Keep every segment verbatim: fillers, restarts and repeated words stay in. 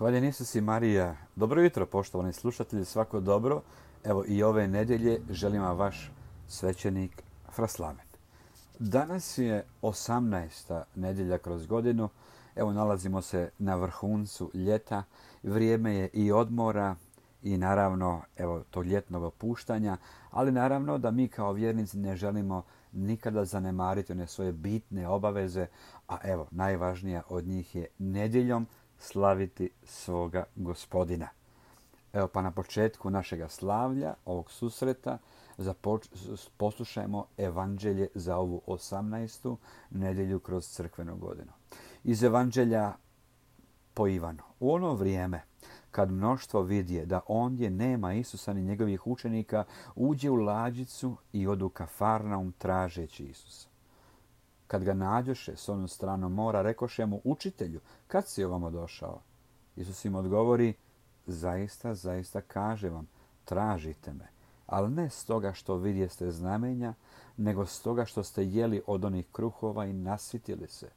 Hvaljen Isus i Marija. Dobro jutro, poštovani slušatelji, svako dobro. Evo i ove nedjelje želim vam vaš svećenik Fraslaven. Danas je osamnaesta nedjelja kroz godinu. Evo nalazimo se na vrhuncu ljeta. Vrijeme je i odmora i naravno evo tog ljetnog opuštanja, ali naravno da mi kao vjernici ne želimo nikada zanemariti one svoje bitne obaveze, a evo najvažnija od njih je nedjeljom slaviti svoga Gospodina. Evo pa na početku našega slavlja, ovog susreta, započ- poslušajmo evanđelje za ovu osamnaestu nedjelju kroz crkvenu godinu. Iz evanđelja po Ivanu. U ono vrijeme, kad mnoštvo vidje da ondje nema Isusa ni njegovih učenika, uđe u lađicu i odu u Kafarnaum tražeći Isusa. Kad ga nađoše s onu stranu mora, rekoše mu: Učitelju, kad si ovamo došao? Isus im odgovori: Zaista, zaista kažem vam, tražite me, ali ne stoga što vidjeste znamenja, nego stoga što ste jeli od onih kruhova i nasitili se.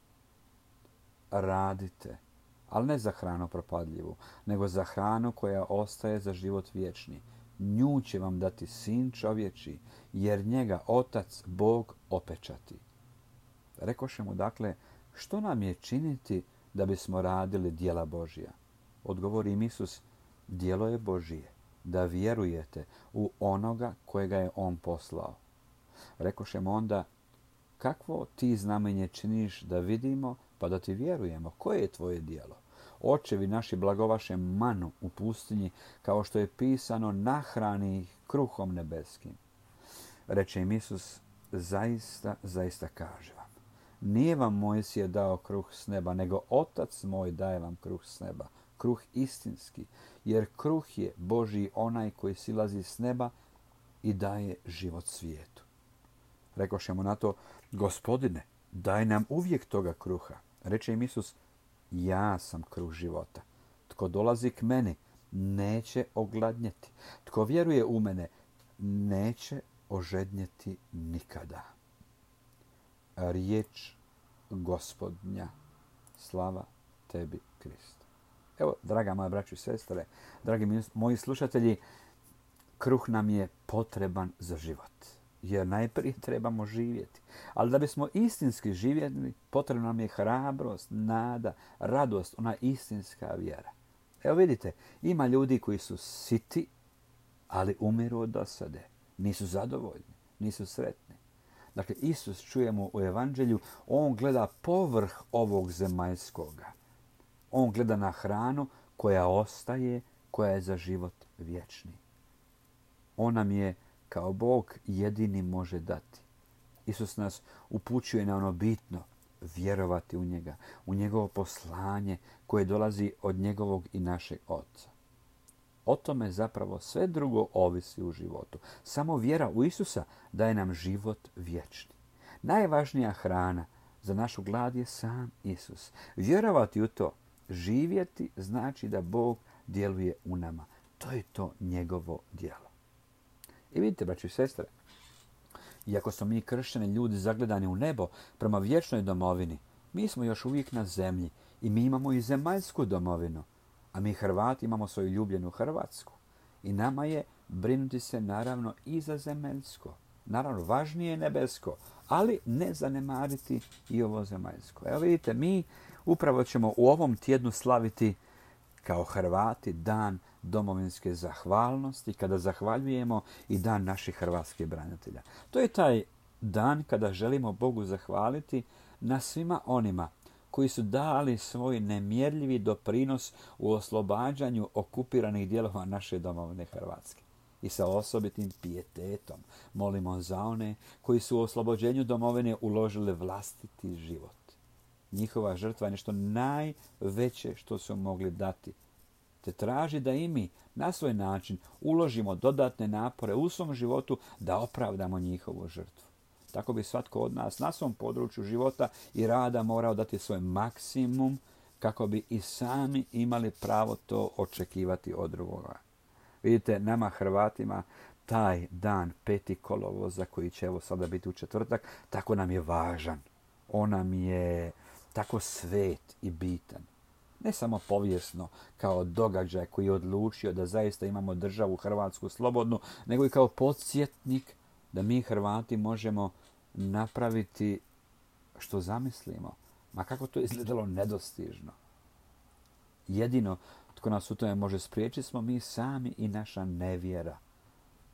Radite, ali ne za hranu propadljivu, nego za hranu koja ostaje za život vječni. Nju će vam dati Sin čovječji, jer njega Otac Bog opečati. Rekoše mu dakle: Što nam je činiti da bismo radili djela Božja? Odgovori im Isus: Djelo je Božije, da vjerujete u onoga kojega je on poslao. Rekoše mu onda: Kakvo ti znamenje činiš da vidimo, pa da ti vjerujemo? Koje je tvoje djelo? Očevi naši blagovaše manu u pustinji, kao što je pisano: nahrani ih kruhom nebeskim. Reče im Isus: Zaista, zaista kažem vam, nije vam Mojsije dao kruh s neba, nego Otac moj daje vam kruh s neba, kruh istinski, jer kruh je Božji onaj koji silazi s neba i daje život svijetu. Rekoše mu na to: Gospodine, daj nam uvijek toga kruha. Reče im Isus: Ja sam kruh života. Tko dolazi k meni, neće ogladnjeti. Tko vjeruje u mene, neće ožednjeti nikada. Riječ Gospodnja. Slava tebi, Kriste. Evo, draga moja braćo i sestre, dragi moji slušatelji, kruh nam je potreban za život. Jer najprije trebamo živjeti. Ali da bismo istinski živjeli, potrebna nam je hrabrost, nada, radost, ona istinska vjera. Evo vidite, ima ljudi koji su siti, ali umiru od dosade. Nisu zadovoljni, nisu sretni. Dakle, Isus, čujemo u evanđelju, on gleda povrh ovog zemaljskoga. On gleda na hranu koja ostaje, koja je za život vječni. On nam je kao Bog jedini može dati. Isus nas upućuje na ono bitno, vjerovati u njega, u njegovo poslanje koje dolazi od njegovog i našeg Oca. O tome zapravo sve drugo ovisi u životu. Samo vjera u Isusa daje nam život vječni. Najvažnija hrana za našu glad je sam Isus. Vjerovati u to, živjeti, znači da Bog djeluje u nama. To je to njegovo djelo. I vidite, braći i sestre, iako smo mi kršćani ljudi zagledani u nebo prema vječnoj domovini, mi smo još uvijek na zemlji i mi imamo i zemaljsku domovinu. A mi Hrvati imamo svoju ljubljenu Hrvatsku. I nama je brinuti se naravno i za zemaljsko. Naravno, važnije je nebesko, ali ne zanemariti i ovo zemaljsko. Evo vidite, mi upravo ćemo u ovom tjednu slaviti kao Hrvati dan domovinske zahvalnosti, kada zahvaljujemo i dan naših hrvatskih branitelja. To je taj dan kada želimo Bogu zahvaliti na svima onima koji su dali svoj nemjerljivi doprinos u oslobađanju okupiranih dijelova naše domovine Hrvatske. I sa osobitim pijetetom molimo za one koji su u oslobođenju domovine uložili vlastiti život. Njihova žrtva je nešto najveće što su mogli dati. Te traži da i mi na svoj način uložimo dodatne napore u svom životu da opravdamo njihovu žrtvu. Tako bi svatko od nas na svom području života i rada morao dati svoj maksimum kako bi i sami imali pravo to očekivati od drugoga. Vidite, nama Hrvatima taj dan peti kolovoza koji će evo sada biti u četvrtak, tako nam je važan. On nam je tako svet i bitan. Ne samo povijesno, kao događaj koji je odlučio da zaista imamo državu Hrvatsku slobodnu, nego i kao podsjetnik da mi Hrvati možemo napraviti što zamislimo. Ma kako to izgledalo nedostižno. Jedino tko nas u tome može spriječiti smo mi sami i naša nevjera.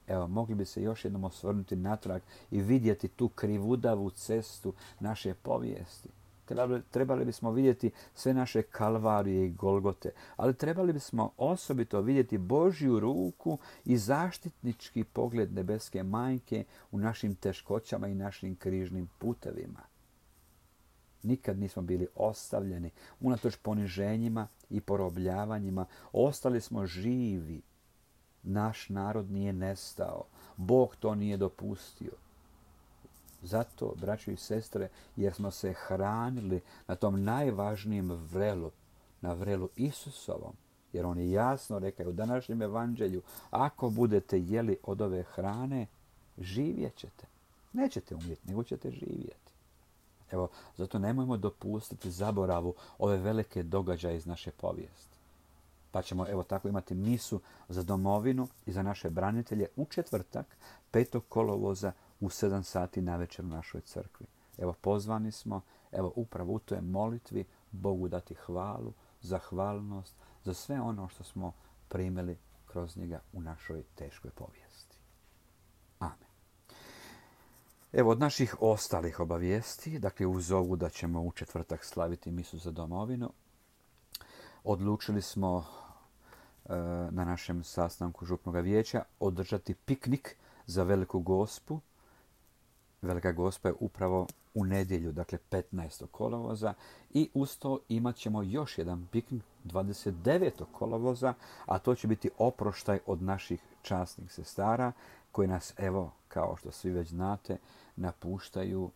Evo, mogli bi se još jednom osvrnuti natrag i vidjeti tu krivudavu cestu naše povijesti. Trebali, trebali bismo vidjeti sve naše kalvarije i golgote, ali trebali bismo osobito vidjeti Božju ruku i zaštitnički pogled nebeske majke u našim teškoćama i našim križnim putevima. Nikad nismo bili ostavljeni, unatoč poniženjima i porobljavanjima, ostali smo živi. Naš narod nije nestao. Bog to nije dopustio. Zato, braćo i sestre, jer smo se hranili na tom najvažnijem vrelu, na vrelu Isusovom. Jer on je jasno rekao u današnjem evanđelju, ako budete jeli od ove hrane, živjet ćete. Nećete umjeti, nego ćete živjeti. Evo, zato nemojmo dopustiti zaboravu ove velike događaje iz naše povijesti. Pa ćemo evo tako imati misu za domovinu i za naše branitelje u četvrtak, petog kolovoza u sedam sati navečer u našoj crkvi. Evo pozvani smo, evo upravo u toj molitvi Bogu dati hvalu, zahvalnost za sve ono što smo primili kroz njega u našoj teškoj povijesti. Amen. Evo od naših ostalih obavijesti, dakle uz ovu da ćemo u četvrtak slaviti misu za domovinu, odlučili smo e, na našem sastanku župnog vijeća održati piknik za Veliku Gospu. Velika Gospa je upravo u nedjelju, dakle petnaestog kolovoza, i uz to imat ćemo još jedan piknik dvadeset devetog kolovoza, a to će biti oproštaj od naših časnih sestara koji nas, evo, kao što svi već znate, napuštaju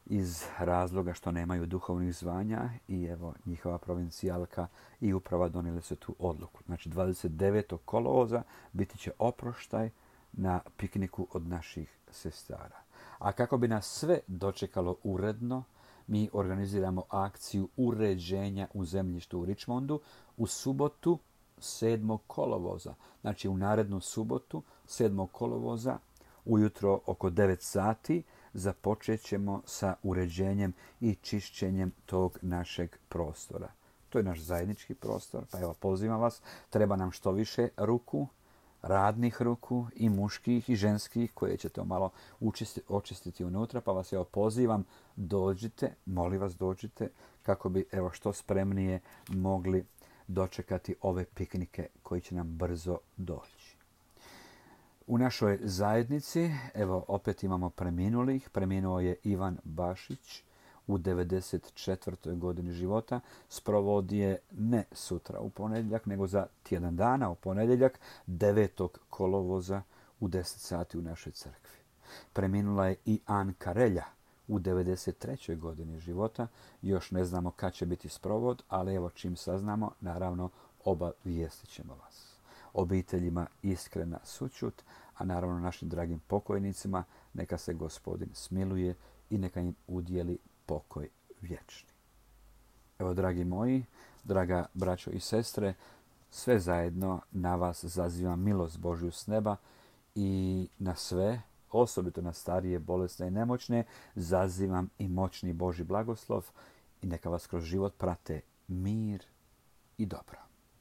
iz razloga što nemaju duhovnih zvanja i evo njihova provincijalka i uprava donijeli su tu odluku. Znači dvadeset devetog kolovoza biti će oproštaj na pikniku od naših sestara. A kako bi nas sve dočekalo uredno, mi organiziramo akciju uređenja u zemljištu u Richmondu u subotu sedmog kolovoza. Znači u narednu subotu sedmog kolovoza ujutro oko devet sati započet ćemo sa uređenjem i čišćenjem tog našeg prostora. To je naš zajednički prostor, pa evo pozivam vas, treba nam što više ruku, radnih ruku i muških i ženskih koje ćete malo učistiti, očistiti unutra, pa vas evo pozivam, dođite, molim vas dođite kako bi evo što spremnije mogli dočekati ove piknike koji će nam brzo doći. U našoj zajednici, evo opet imamo preminulih. Preminuo je Ivan Bašić u devedeset četvrtoj godini života. Sprovodi je ne sutra u ponedjeljak, nego za tjedan dana u ponedjeljak, devetog kolovoza u deset sati u našoj crkvi. Preminula je i Anka Relja u devedeset trećoj godini života. Još ne znamo kad će biti sprovod, ali evo čim saznamo, naravno obavijestit ćemo vas. Obiteljima iskrena sućut, a naravno našim dragim pokojnicima neka se Gospodin smiluje i neka im udjeli pokoj vječni. Evo, dragi moji, draga braćo i sestre, sve zajedno na vas zazivam milost Božju s neba i na sve, osobito na starije, bolesne i nemoćne, zazivam i moćni Božji blagoslov i neka vas kroz život prate mir i dobro.